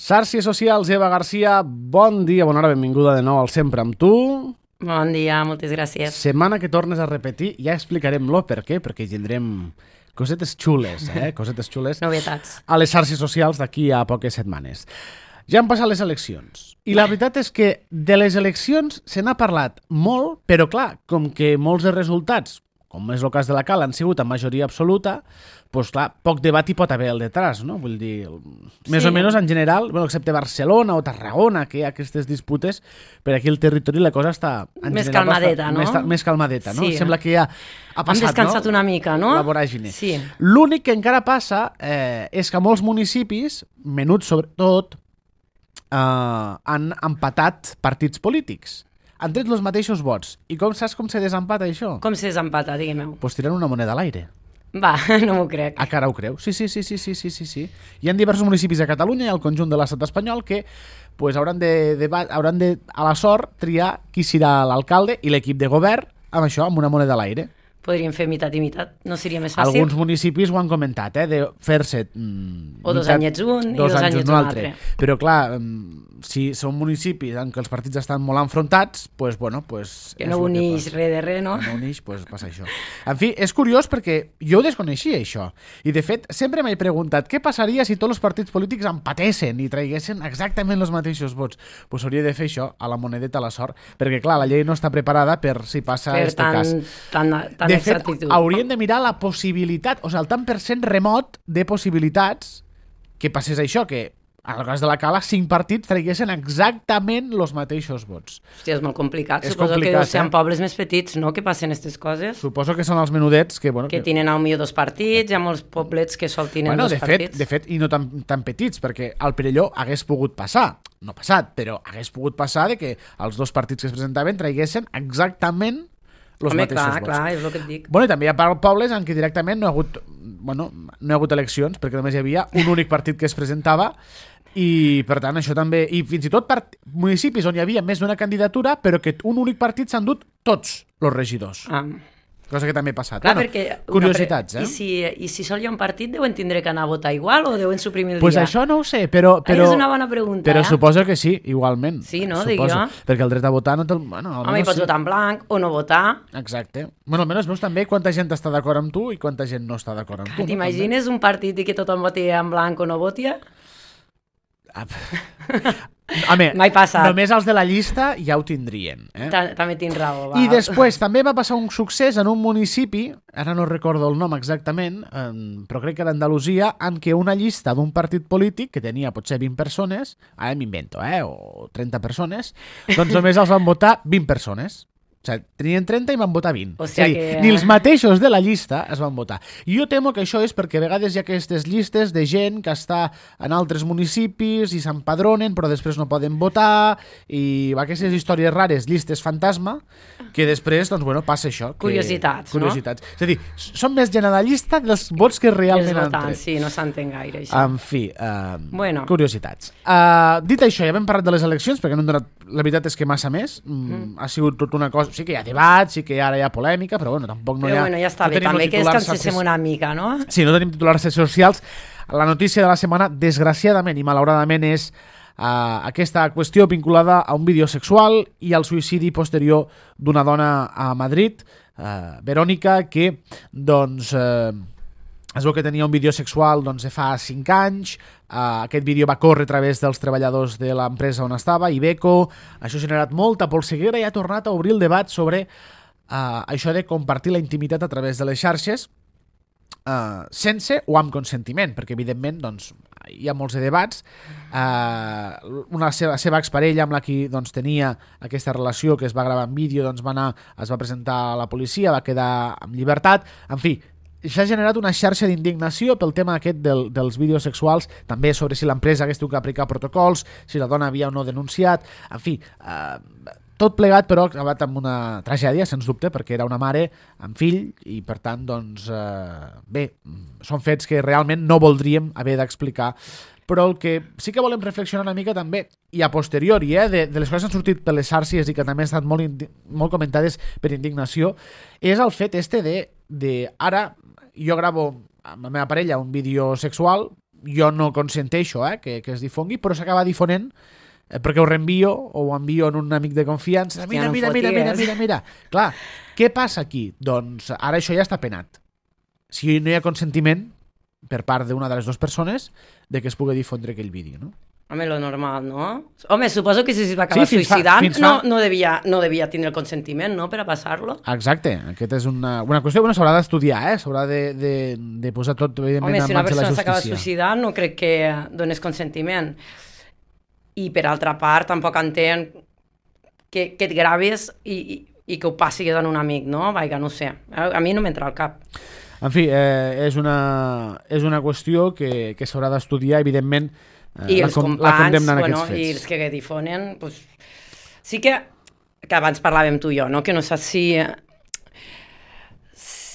Xarxes socials, Eva Garcia, bon dia, bona hora, benvinguda de nou al Sempre amb tu. Bon dia, moltes gràcies. Setmana que tornes a repetir, ja explicarem per què, perquè tindrem cosetes xules, cosetes xules. Novetats. A les xarxes socials d'aquí a poques setmanes. Ja han passat les eleccions. I la veritat és que de les eleccions se n'ha parlat molt, però clar, com que molts dels resultats, com és el cas de la Cala, han sigut amb majoria absoluta, doncs clar, poc debat hi pot haver al detrás, no? Vull dir, més o menys en general, bueno, excepte Barcelona o Tarragona, que hi ha aquestes disputes, per aquí al territori la cosa està... Més calmadeta, no? Més calmadeta, no? Sí. Sembla que ja ha passat, hem descansat una mica, no? La voràgine. Sí. L'únic que encara passa és que molts municipis, menuts sobretot, han empatat partits polítics. Han tret els mateixos vots. I saps com se desempata això? Com se desempata, diguem-ho? Pues tirant una moneda a l'aire. Va, no m'ho crec. A cara ho creu? Sí. Hi ha diversos municipis a Catalunya i al conjunt de l'estat espanyol que pues, hauran de a la sort triar qui serà l'alcalde i l'equip de govern amb això, amb una moneda a l'aire. Podríem fer mitat i mitat, no seria més fàcil? Alguns municipis ho han comentat, de fer-se... o 2 anyets un i 2 anyets un altre. Però clar, si són municipis en què els partits estan molt enfrontats, pues, bueno, pues, que no uneix res de res, no? Que no uneix, pues, passa això. En fi, és curiós perquè jo ho desconeixia, això. I, de fet, sempre m'he preguntat què passaria si tots els partits polítics empatessin i traiguessin exactament els mateixos vots. Pues hauria de fer això, a la monedeta a la sort, perquè, clar, la llei no està preparada per si passa aquest cas. De fet, haurien de mirar la possibilitat, o sigui, el tant per cent remot de possibilitats que passés això, que en el cas de la Cala 5 partits traiguessin exactament els mateixos vots. Hòstia, és molt complicat. És Suposo complicat, que sean pobles més petits, no?, que passen aquestes coses. Suposo que són els menudets que... Bueno, que tenen potser 2 partits, hi ha molts poblets que sol tenen 2 partits. De fet, i no tan petits, perquè al Perelló hagués pogut passar, no ha passat, però hagués pogut passar de que els 2 partits que es presentaven traiguessin exactament els mateixos vots. Clar, és el que et dic. Bueno, i també hi ha pobles en què directament no hi ha hagut eleccions, perquè només hi havia un únic partit que es presentava, i per tant això també... I fins i tot municipis on hi havia més d'una candidatura, però que un únic partit s'han dut tots els regidors. Cosa que també ha passat. Clar, perquè curiositats, I si sol hi ha un partit, deuen tindre que anar a votar igual o deuen suprimir el dia? Pues això no ho sé, però... És una bona pregunta, Però suposo que sí, igualment. Sí, no? Dic jo. Perquè el dret a votar no té... Home, hi pots votar en blanc o no votar. Exacte. Bueno, almenys veus també quanta gent està d'acord amb tu i quanta gent no està d'acord amb tu. T'imagines un partit i que tothom voti en blanc o no voti? Home, mai passat. Només els de la llista ja ho tindrien. També tens raó. Va. I després també va passar un succés en un municipi, ara no recordo el nom exactament, però crec que era Andalusia, en què una llista d'un partit polític que tenia potser 20 persones, ara m'invento, o 30 persones, doncs només els van votar 20 persones. O sigui, tenien 30 i van votar 20. O sigui que... ni els mateixos de la llista es van votar. I jo temo que això és perquè a vegades hi ha aquestes llistes de gent que està en altres municipis i s'empadronen però després no poden votar i aquestes històries rares, llistes fantasma, que després, doncs, bueno, passa això. Curiositats, no? És a dir, són més gent a la llista dels vots que realment han tret. Sí, no s'entén gaire, això. En fi, curiositats. Dit això, ja hem parlat de les eleccions, perquè no hem donat, la veritat és que massa més. Ha sigut tota una cosa... Sí que hi ha debat, sí que ara hi ha polèmica, però bueno, tampoc no hi ha... Però bueno, ja està bé, també que descanséssim una mica, no? Sí, no tenim titulars socials. La notícia de la setmana, desgraciadament i malauradament, és aquesta qüestió vinculada a un vídeo sexual i al suïcidi posterior d'una dona a Madrid, Verònica, que, doncs... es veu que tenia un vídeo sexual de fa 5 anys, aquest vídeo va córrer a través dels treballadors de l'empresa on estava, Iveco, això ha generat molta polseguera i ha tornat a obrir el debat sobre això de compartir la intimitat a través de les xarxes sense o amb consentiment, perquè evidentment hi ha molts de debats. La seva exparella amb la que tenia aquesta relació que es va gravar en vídeo es va presentar a la policia, va quedar en llibertat, en fi, s'ha generat una xarxa d'indignació pel tema aquest dels vídeos sexuals, també sobre si l'empresa hagués tingut que aplicar protocols, si la dona havia o no denunciat, en fi, tot plegat però ha acabat amb una tragèdia, sens dubte, perquè era una mare amb fill i per tant, bé, són fets que realment no voldríem haver d'explicar, però el que sí que volem reflexionar una mica també, i a posteriori, de les coses que han sortit per les xarxes i que també han estat molt comentades per indignació, és el fet de ara jo gravo amb la meva parella un vídeo sexual, jo no consenteixo que es difongui, però s'acaba difonent perquè ho reenvio o ho envio en un amic de confiança. Mira. Clar, què passa aquí? Doncs ara això ja està penat. Si no hi ha consentiment per part d'una de les dues persones de que es pugui difondre aquell vídeo, no? Home, lo normal, no? Home, suposo que si es va acabar suïcidant no devia tindre el consentiment, no?, per a passar-lo. Exacte, aquesta és una qüestió que s'haurà d'estudiar, s'haurà de posar tot, evidentment, en mans de la justícia. Home, si una persona s'acaba suïcidant no crec que dones consentiment. I per altra part, tampoc entenc que et graves i que ho passis en un amic, no? Vaja, no sé, a mi no m'entra al cap. En fi, és una qüestió que s'haurà d'estudiar, evidentment. I els companys, i els que difonen, pues, sí que abans parlàvem tu i jo, no? Que no saps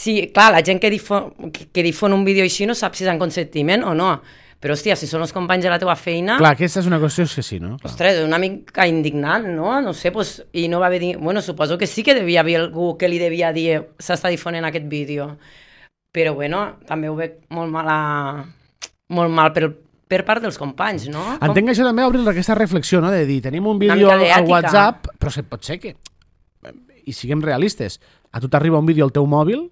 si clar, la gent que difon un vídeo així no sap si és en consentiment o no, però hòstia, si són els companys de la teva feina... Clar, aquesta és una qüestió que sí, no? Clar. Ostres, una mica indignant, no? No sé, pues, i no va haver dir... Bueno, suposo que sí que devia haver algú que li devia dir s'està difonent aquest vídeo, però bueno, també ho veig molt mal per part dels companys, no? Entenc que això també obrir aquesta reflexió, no? De dir, tenim un vídeo al WhatsApp, però pot ser que, i siguem realistes, a tu t'arriba un vídeo al teu mòbil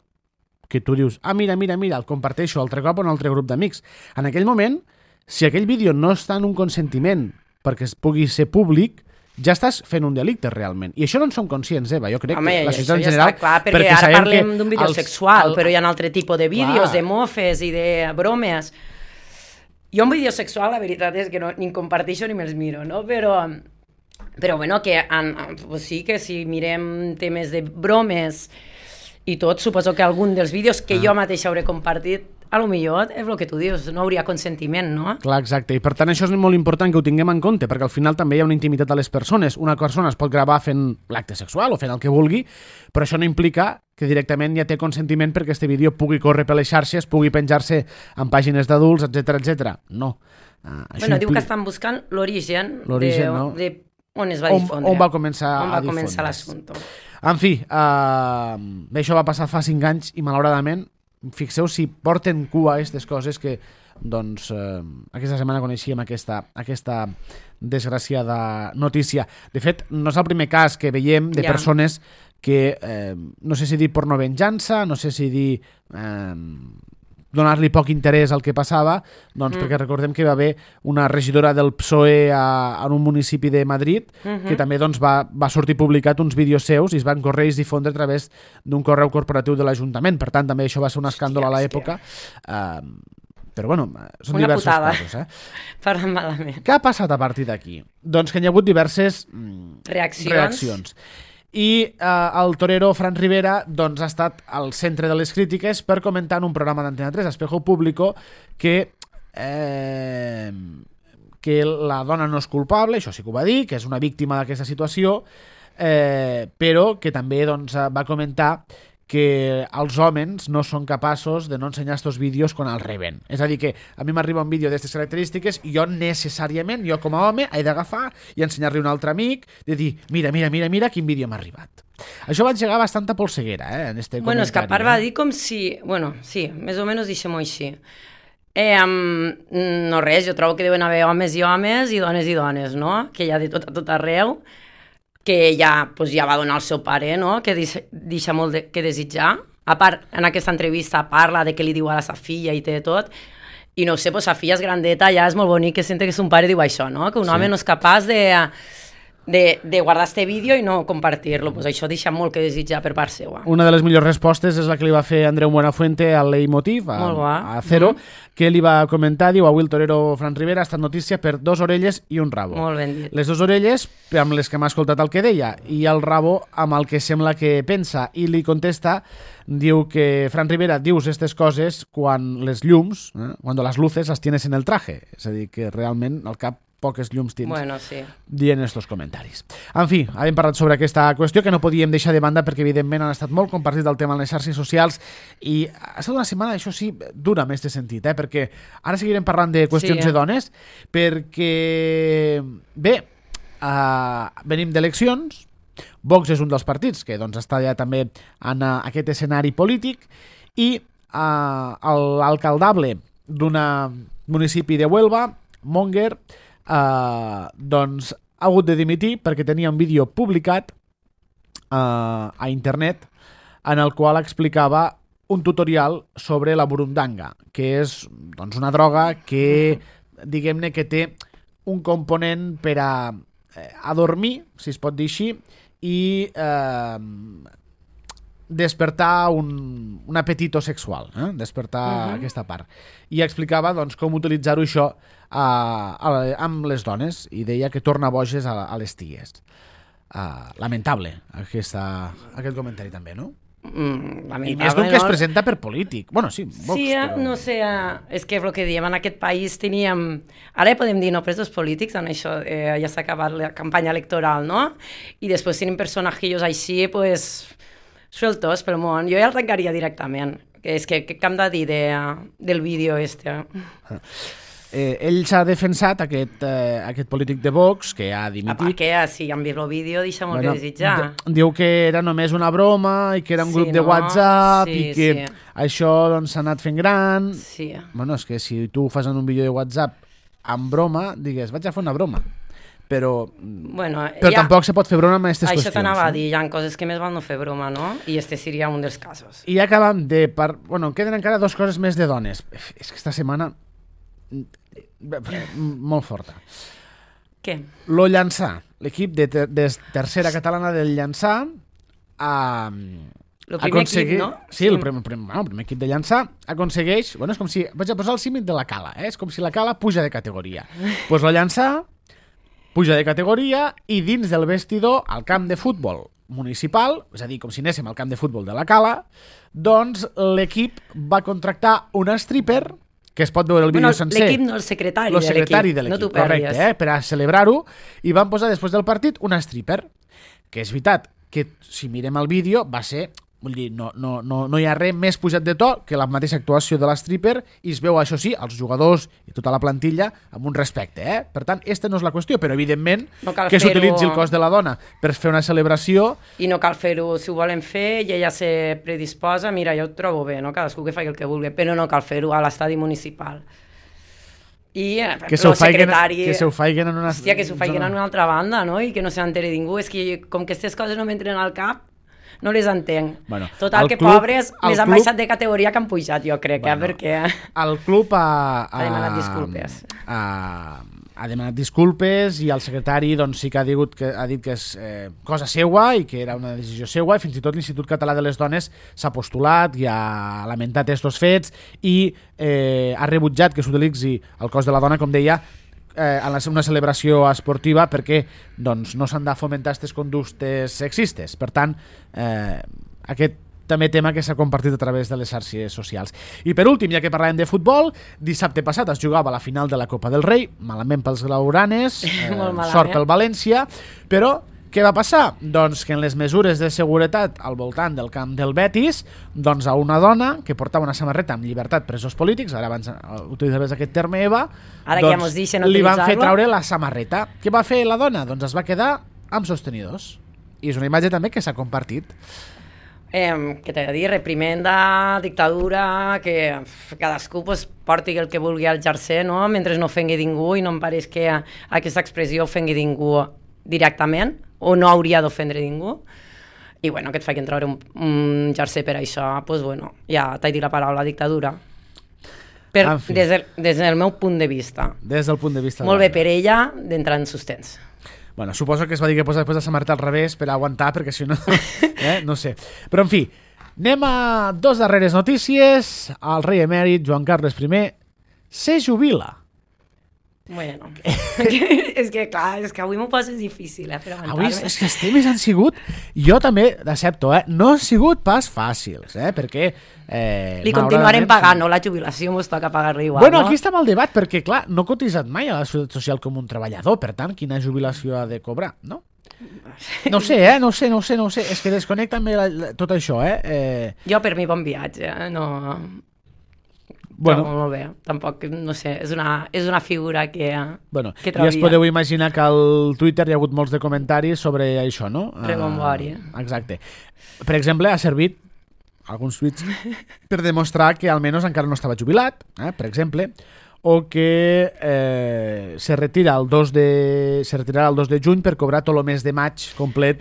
que tu dius, mira, el comparteixo altre cop a un altre grup d'amics. En aquell moment, si aquell vídeo no està en un consentiment perquè es pugui ser públic, ja estàs fent un delicte realment. I això no en som conscients, Eva. Jo crec que la societat en general... Home, clar, perquè ara parlem d'un vídeo sexual, però hi ha un altre tipus de vídeos, de mofes i de bromes. Jo un vídeo sexual, la veritat és que ni comparteixo ni me'ls miro, no? Però bueno, que pues sí que si mirem temes de bromes i tot, suposo que algun dels vídeos que jo mateixa hauré compartit, a lo millor és el que tu dius, no hauria consentiment, no? Clar, exacte, i per tant això és molt important que ho tinguem en compte, perquè al final també hi ha una intimitat a les persones. Una persona es pot gravar fent l'acte sexual o fent el que vulgui, però això no implica que directament ja té consentiment perquè este vídeo pugui córrer per les xarxes, pugui penjar-se en pàgines d'adults, etc. No. Bueno, diu que estan buscant l'origen no? de on es va difondre. On va començar l'assumpte. En fi, això va passar fa 5 anys i malauradament fixeu si porten cua aquestes coses que doncs aquesta setmana coneixíem aquesta desgraciada notícia. De fet, no és el primer cas que veiem de persones que no sé si dir pornovenjança, no sé si dir donar-li poc interès al que passava, doncs perquè recordem que va haver una regidora del PSOE en un municipi de Madrid que també doncs, va sortir publicat uns vídeos seus i es van córrer i es difondre a través d'un correu corporatiu de l'Ajuntament. Per tant, també això va ser un escàndol a l'època. Però bueno, són diversos casos. Parlant malament. Què ha passat a partir d'aquí? Doncs que hi ha hagut diverses reaccions. I el torero Fran Rivera doncs, ha estat al centre de les crítiques per comentar en un programa d'Antena 3, Espejo Público, que la dona no és culpable, això sí que ho va dir, que és una víctima d'aquesta situació, però que també doncs, va comentar que els homes no són capaços de no ensenyar estos vídeos quan els reben. És a dir, que a mi m'arriba un vídeo d'aquestes característiques i jo necessàriament, jo com a home, he d'agafar i ensenyar-li a un altre amic, de dir, mira quin vídeo m'ha arribat. Això va engegar bastanta polseguera, en este comentari. Bueno, és que a part va dir com si... Bueno, sí, més o menys deixem-ho així. No res, jo trobo que deuen haver homes i dones, no? Que hi ha de tot arreu, que ja va donar el seu pare, no? Que deixa molt que desitjar. A part, en aquesta entrevista parla de què li diu a la sa filla i té tot, i no sé, sa filla és grandeta, ja és molt bonic que sente que son pare diu això, no? Que un home no és capaç de guardar este vídeo i no compartir-lo. Pues això deixa molt que desitjar per part seva. Una de les millors respostes és la que li va fer Andreu Buenafuente al Leitmotiv, a Cero, que li va comentar, diu, avui el torero Fran Rivera ha estat notícia per 2 orelles i un rabo. Molt ben dit. Les 2 orelles amb les que m'ha escoltat el que deia i el rabo amb el que sembla que pensa, i li contesta, diu que Fran Rivera dius aquestes coses quan les llums, quan les luces las tienes en el traje, és a dir, que realment al cap poques llums tens dient estos comentaris. En fi, hem parlat sobre aquesta qüestió que no podíem deixar de banda perquè evidentment han estat molt compartit el tema en les xarxes socials i ha estat una setmana, això sí, dura en aquest sentit, perquè ara seguirem parlant de qüestions de dones, perquè bé, venim d'eleccions, Vox és un dels partits que doncs, està ja també en aquest escenari polític i l'alcaldable d'una municipi de Huelva, Monger, doncs ha hagut de dimitir perquè tenia un vídeo publicat a internet en el qual explicava un tutorial sobre la burundanga, que és doncs, una droga que, diguem-ne, que té un component per a dormir, si es pot dir així, i despertar un apetito sexual, despertar aquesta part. I explicava doncs, com utilitzar-ho això amb les dones, i deia que torna boges a les ties. Lamentable aquest comentari també, no? I més d'un que es presenta per polític. Bueno, sí, Vox, sí, però... no sé, és que el que diem, en aquest país teníem... Ara podem dir no presos polítics, en això ja s'ha acabat la campanya electoral, no? I després tenim personatges així, pues, sueltos pel món. Jo ja el tancaria directament. És que què hem de dir del vídeo este? Ell s'ha defensat, aquest polític de Vox, que ha dimitit. Que si han vist el vídeo deixa molt que desitjar. Diu que era només una broma i que era un grup de WhatsApp i que això doncs, s'ha anat fent gran. Sí. Bueno, és que si tu fas en un vídeo de WhatsApp amb broma, digues, vaig a fer una broma. Però tampoc se pot fer broma amb aquestes qüestions. Això t'anava a dir, hi ha coses que més val no fer broma, no? I este seria un dels casos. I acabem Bueno, queden encara 2 coses més de dones. És que esta setmana... molt forta. Què? Lo Llançà, l'equip de tercera catalana del Llançà el primer equip, no? Sí, el primer equip de Llançà aconsegueix, bueno, és com si vaig a posar el símil de la Cala, és com si la Cala puja de categoria. Pues lo Llançà puja de categoria i dins del vestidor al camp de futbol municipal, és a dir, com si anéssim al camp de futbol de la Cala, doncs l'equip va contractar una stripper que es pot veure el vídeo sencer. L'equip no, el secretari de l'equip. El secretari de l'equip, correcte, per a celebrar-ho, i van posar després del partit una stripper, que és veritat que si mirem el vídeo va ser, vull dir, no hi ha res més pujat de to que la mateixa actuació de la stripper i es veu, això sí, els jugadors i tota la plantilla amb un respecte, Per tant, aquesta no és la qüestió, però evidentment que s'utilitzi el cos de la dona per fer una celebració. I no cal fer-ho, si ho volen fer i ella se predisposa, mira, jo ho trobo bé, no? Cadascú que faci el que vulgui, però no cal fer-ho a l'estadi municipal. I que s'ho faiguen en una... Hòstia, que s'ho faiguen en una altra banda, no? I que no se n'enteri ningú. És que com que aquestes coses no m'entren al cap, no les entenc. Bueno, total, que pobres més han baixat de categoria que han pujat, jo crec, perquè... El club ha demanat disculpes. Ha demanat disculpes i el secretari doncs, sí que ha dit que és cosa seua i que era una decisió seua, i fins i tot l'Institut Català de les Dones s'ha postulat i ha lamentat estos fets i ha rebutjat que s'utilitzi el cos de la dona, com deia, en una celebració esportiva perquè doncs, no s'han de fomentar aquestes conductes sexistes. Per tant, aquest també tema que s'ha compartit a través de les xarxes socials. I per últim, ja que parlàvem de futbol, dissabte passat es jugava la final de la Copa del Rei, malament pels blaugranes, sort pel València, però què va passar? Doncs que en les mesures de seguretat al voltant del camp del Betis, doncs a una dona que portava una samarreta amb llibertat presos polítics, ara abans utilitzaves aquest terme, Eva, ara doncs que ja li van fer treure la samarreta. Què va fer la dona? Doncs es va quedar amb sostenidors. I és una imatge també que s'ha compartit. Que t'he de dir, reprimenda, dictadura, que cadascú porti el que vulgui al jersei, no? Mentre no ofengui ningú, i no em pareix que aquesta expressió ofengui ningú directament, o no hauria d'ofendre ningú. I bueno, que et facin treure un jersei per això, doncs bueno, ja t'he dit la paraula dictadura. Des del meu punt de vista. Des del punt de vista. Molt bé per ella d'entrar en sostens. Bueno, suposo que es va dir que posa després la samarreta al revés per aguantar, perquè si no... no sé. Però, en fi, anem a 2 darreres notícies. El rei emèrit, Joan Carles I, se jubila. Bueno, és que clar, és que avui m'ho poses difícil, per aguantar-me. Avui és que els temes han sigut, jo també d'accepto, no han sigut pas fàcils, perquè... Li continuarem pagant, no? La jubilació mos toca pagar-li igual, bueno, aquí està el debat, perquè clar, no he cotitzat mai a la Seguretat Social com un treballador, per tant, quina jubilació ha de cobrar, no? No sé, no sé, és que desconnecta tot això, Jo per mi bon viatge, no... Bueno, molt bé, tampoc, no sé, és una figura que ja es podeu imaginar que al Twitter hi ha hagut molts de comentaris sobre això, no? Rebombori. Exacte. Per exemple, ha servit alguns tuits per demostrar que almenys encara no estava jubilat, per exemple, o que se retirarà el 2 de juny per cobrar tot el mes de maig complet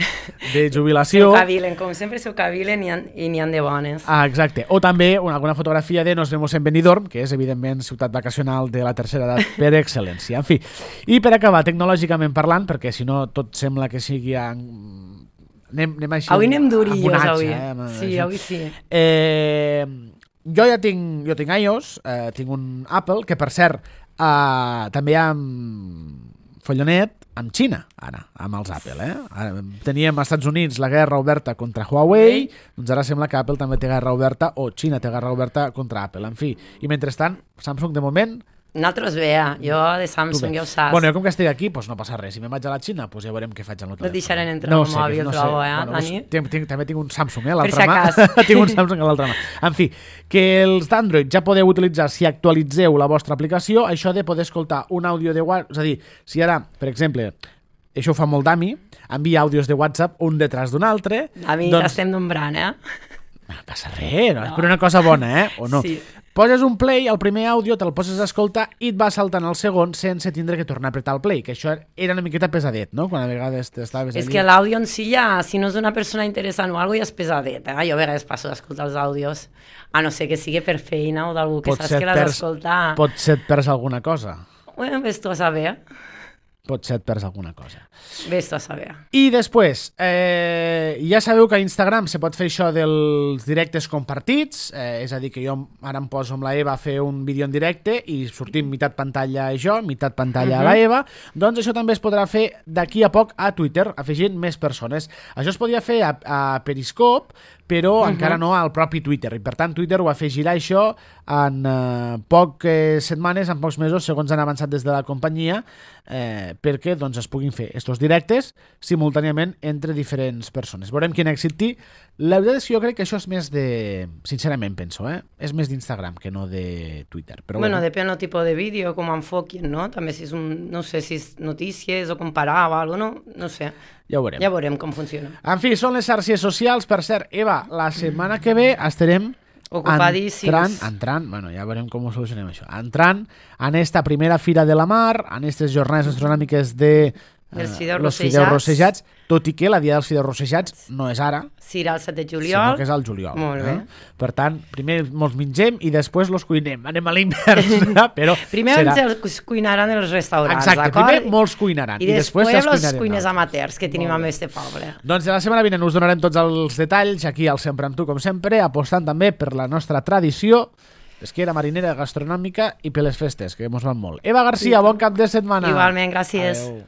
de jubilació. S'ho cavilen, com sempre s'ho cavilen i n'hi han de bones. Exacte. O també alguna fotografia de Nos vemos en Benidorm, que és evidentment ciutat vacacional de la tercera edat per excel·lència. En fi, i per acabar, tecnològicament parlant, perquè si no tot sembla que sigui... Anem així, avui anem durillos, abonats, avui. Sí, avui sí. Jo ja tinc iOS, tinc un Apple, que per cert també hi ha follonet amb Xina, ara, amb els Apple. Ara, teníem als Estats Units la guerra oberta contra Huawei, doncs ara sembla que Apple també té guerra oberta, o Xina té guerra oberta contra Apple. En fi, i mentrestant, Samsung de moment... Nosaltres bé, jo de Samsung ja ho saps. Bueno, jo com que estic aquí, doncs no passa res. Si me'n vaig a la Xina, doncs ja veurem què faig al meu telèfon. No et deixaran entrar al mòbil, trobo, Dani? També tinc un Samsung, a l'altra mà. Tinc un Samsung a l'altra mà. En fi, que els d'Android ja podeu utilitzar, si actualitzeu la vostra aplicació, això de poder escoltar un àudio de WhatsApp, és a dir, si ara, per exemple, això ho fa molt Dami, envia àudios de WhatsApp un detrás d'un altre... Dami, t'estem nombrant, No passa res, no? És per una cosa bona, o no? Sí. Poses un play, el primer àudio te'l poses a escoltar i et va saltant el segon sense tindre que tornar a apretar el play, que això era una miqueta pesadet, no? Quan a vegades t'estaves allà... És que l'àudio en si ja, si no és una persona interessant o alguna cosa, ja és pesadet. Jo a vegades passo d'escoltar els àudios, a no ser que sigui per feina o d'algú que saps que l'has d'escoltar. Potser et perds alguna cosa. Bueno, ves tu a saber. Potser et perds alguna cosa. Ves tu a saber. I després, ja sabeu que a Instagram se pot fer això dels directes compartits, és a dir, que jo ara em poso amb la Eva a fer un vídeo en directe i sortim meitat pantalla jo, meitat pantalla a la Eva, doncs això també es podrà fer d'aquí a poc a Twitter, afegint més persones. Això es podia fer a Periscope, però encara no al propi Twitter, i per tant Twitter ho afegirà això en poques setmanes, en pocs mesos, segons han avançat des de la companyia, perquè doncs, es puguin fer estos directes simultàniament entre diferents persones. Veurem quin èxit té. La veritat és que jo crec que això és més de... Sincerament penso, és més d'Instagram que no de Twitter. Però bueno, depèn del tipus de vídeo, com enfoquin, no? També si és no sé si és notícies o comparar o alguna cosa, no sé. Ja ho veurem. Ja veurem com funciona. En fi, són les xarxes socials. Per cert, Eva, la setmana que ve estarem ocupadíssims. Entrant, bueno, ja veurem com ho solucionem això, entrant en esta primera Fira de la Mar, en aquestes jornades astronòmiques de els fideus rossejats, tot i que la dia dels fideus rossejats no és ara, serà el 7 de juliol, sinó que és al juliol. Molt bé. Per tant, primer mos mengem i després los cuinem. Anem a l'invers, però primer els cuinaran els restaurants, exacte, d'acord? primer molts cuinaran i després els cuines no. amateurs que tenim amb este poble. Doncs la setmana vinent us donarem tots els detalls aquí al Sempre amb tu, com sempre, apostant també per la nostra tradició pesquera, marinera, gastronòmica i per les festes, que mos van molt. Eva Garcia, bon cap de setmana. Igualment, gràcies. Adeu.